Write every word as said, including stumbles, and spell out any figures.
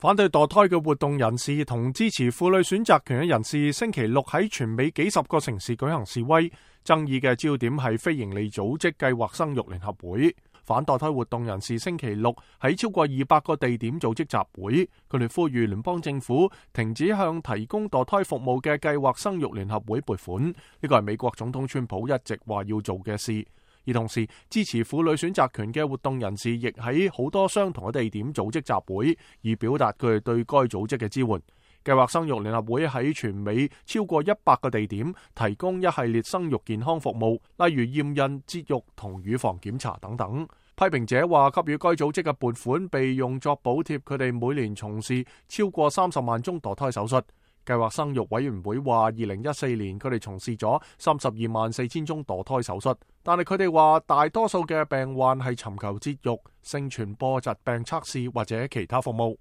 反對墮胎嘅活動人士同支持婦女選擇權嘅人士星期六喺全美幾十個城市舉行示威，爭議嘅焦點係非營利組織計劃生育聯合會。反墮胎活動人士星期六喺超過二百個地點組織集會，佢哋呼籲聯邦政府停止向提供墮胎服務嘅計劃生育聯合會撥款，呢個係美國總統川普一直話要做嘅事。而同時，支持婦女選擇權嘅活動人士亦喺好多相同嘅地點組織集會，以表達佢哋對該組織嘅支援。計劃生育聯合會喺全美超過一百個地點提供一系列生育健康服務，例如驗孕、節育同乳房檢查等等。批評者話，給予該組織嘅撥款被用作補貼佢哋每年從事超過三十萬宗墮胎手術。計劃生育委員會話，二零一四年佢哋從事咗三十二萬四千宗墮胎手術，但係佢哋話大多數嘅病患係尋求節育、性傳播疾病測試或者其他服務。